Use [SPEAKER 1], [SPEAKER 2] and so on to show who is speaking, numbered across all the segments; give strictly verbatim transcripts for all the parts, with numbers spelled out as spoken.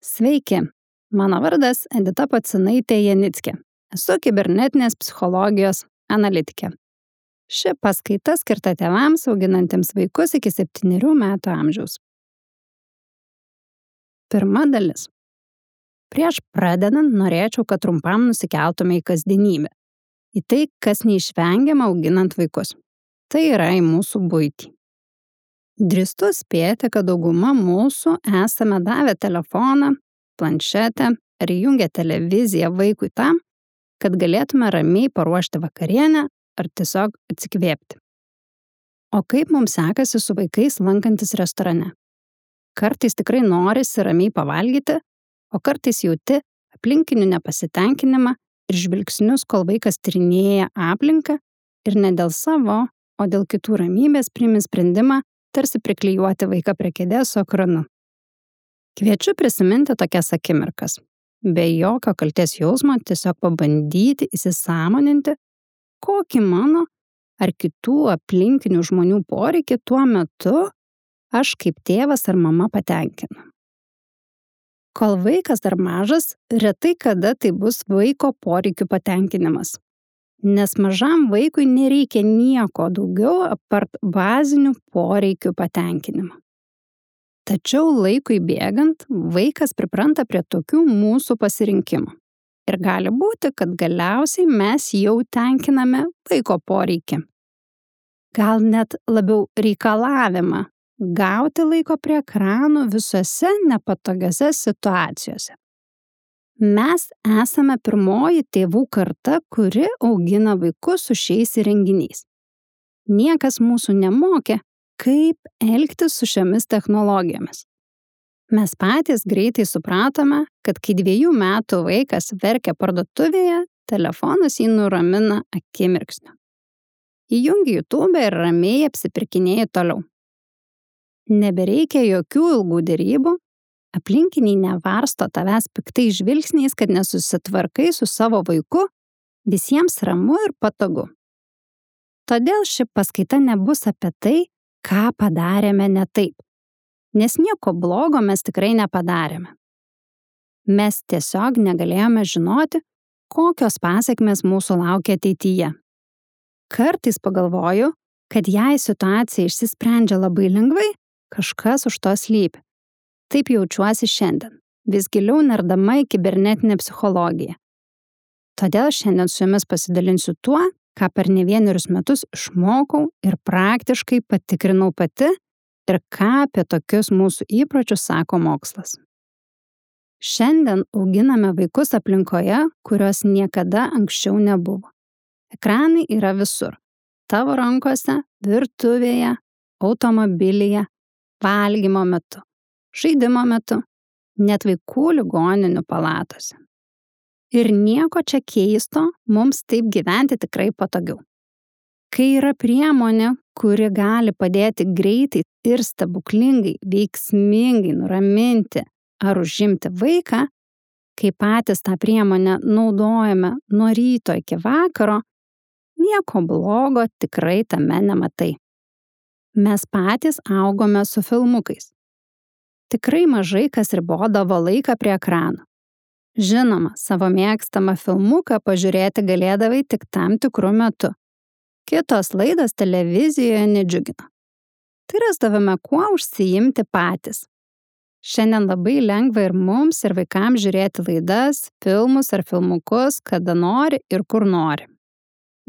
[SPEAKER 1] Sveiki, mano vardas Edita Pacinaitė Janickė. Esu kibernetinės psichologijos analitikė. Ši paskaita skirta tėvams auginantiems vaikus iki septynerių metų amžiaus. Pirma dalis. Prieš pradedant norėčiau, kad trumpam nusikeltume į kasdienybę. Į tai, kas neišvengiama auginant vaikus. Tai yra į mūsų buitį. Drįstu spėti, kad dauguma mūsų esame davę telefoną, planšetę ar įjungę televiziją vaikui tam, kad galėtume ramiai paruošti vakarienę ar tiesiog atsikvėpti. O kaip mums sekasi su vaikais lankantis restorane? Kartais tikrai norisi ramiai pavalgyti, o kartais jauti aplinkinių nepasitenkinimą ir žvilgsnius, kol vaikas tyrinėja aplinką ir ne dėl savo, o dėl kitų ramybės priimi sprendimą tarsi priklijuoti vaiką prie kėdės su ekranu. Kviečiu prisiminti tokias akimirkas. Be jokio kaltės jausmo tiesiog pabandyti įsisąmoninti, kokį mano ar kitų aplinkinių žmonių poreikį tuo metu aš kaip tėvas ar mama patenkinu. Kol vaikas dar mažas, retai kada tai bus vaiko poreikių patenkinimas. Nes mažam vaikui nereikia nieko daugiau apart bazinių poreikių patenkinimo. Tačiau laikui bėgant, vaikas pripranta prie tokių mūsų pasirinkimų. Ir gali būti, kad galiausiai mes jau tenkiname vaiko poreikį. Gal net labiau reikalavimą gauti laiko prie ekranų visose nepatogiose situacijose. Mes esame pirmoji tėvų karta, kuri augina vaikus su šiais įrenginiais. Niekas mūsų nemokė, kaip elgtis su šiomis technologijomis. Mes patys greitai supratome, kad kai dviejų metų vaikas verkia parduotuvėje, telefonas jį nuramina akimirksniu. Įjungi YouTube ir ramiai apsipirkinėji toliau. Nebereikia jokių ilgų derybų, aplinkiniai nevarsto tavęs piktai žvilgsniais, kad nesusitvarkai su savo vaiku, visiems ramu ir patogu. Todėl ši paskaita nebus apie tai, ką padarėme ne taip, nes nieko blogo mes tikrai nepadarėme. Mes tiesiog negalėjome žinoti, kokios pasekmės mūsų laukia ateityje. Kartais pagalvoju, kad jei situacija išsisprendžia labai lengvai, kažkas už to slypi. Taip jaučiuosi šiandien, vis giliau nerdama į kibernetinę psichologiją. Todėl šiandien su jumis pasidalinsiu tuo, ką per ne vienerius metus išmokau ir praktiškai patikrinau pati ir ką apie tokius mūsų įpročius sako mokslas. Šiandien auginame vaikus aplinkoje, kurios niekada anksčiau nebuvo. Ekranai yra visur. Tavo rankose, virtuvėje, automobilyje, valgymo metu, žaidimo metu, net vaikų ligoninių palatose. Ir nieko čia keisto, mums taip gyventi tikrai patogiau. Kai yra priemonė, kuri gali padėti greitai ir stebuklingai, veiksmingai nuraminti ar užimti vaiką, kai patys tą priemonę naudojame nuo ryto iki vakaro, nieko blogo tikrai tame nematai. Mes patys augome su filmukais. Tikrai mažai kas ribodavo laiką prie ekrano. Žinoma, savo mėgstamą filmuką pažiūrėti galėdavai tik tam tikru metu. Kitos laidos televizijoje nedžiugino. Tai rasdavome kuo užsiimti patys. Šiandien labai lengva ir mums, ir vaikams žiūrėti laidas, filmus ar filmukus, kada nori ir kur nori.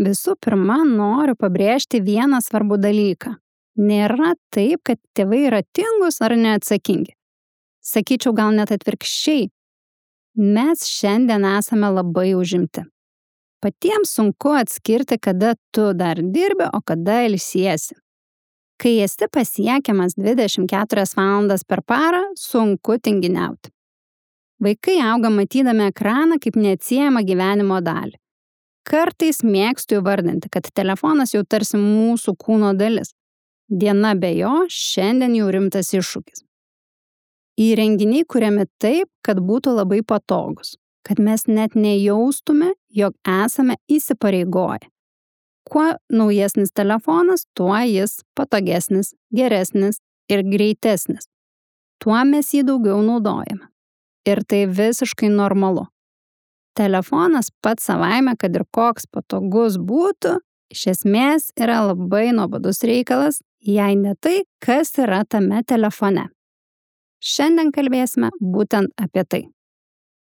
[SPEAKER 1] Visų pirma, noriu pabrėžti vieną svarbų dalyką. Nėra taip, kad tėvai yra tingūs ar neatsakingi. Sakyčiau, gal net atvirkščiai. Mes šiandien esame labai užimti. Patiems sunku atskirti, kada tu dar dirbi, o kada ilsiesi. Kai esi pasiekiamas dvidešimt keturias valandas per parą, sunku tinginiauti. Vaikai auga matydami ekraną kaip neatsiejamą gyvenimo dalį. Kartais mėgstu įvardinti, kad telefonas jau tarsi mūsų kūno dalis. Diena be jo šiandien jau rimtas iššūkis. Įrenginiai kuriami taip, kad būtų labai patogus, kad mes net nejaustume, jog esame įsipareigoję. Kuo naujesnis telefonas, tuo jis patogesnis, geresnis ir greitesnis. Tuo mes jį daugiau naudojame. Ir tai visiškai normalu. Telefonas pats savaime, kad ir koks patogus būtų, iš esmės yra labai nuobodus reikalas, jei ne tai, kas yra tame telefone. Šiandien kalbėsime būtent apie tai.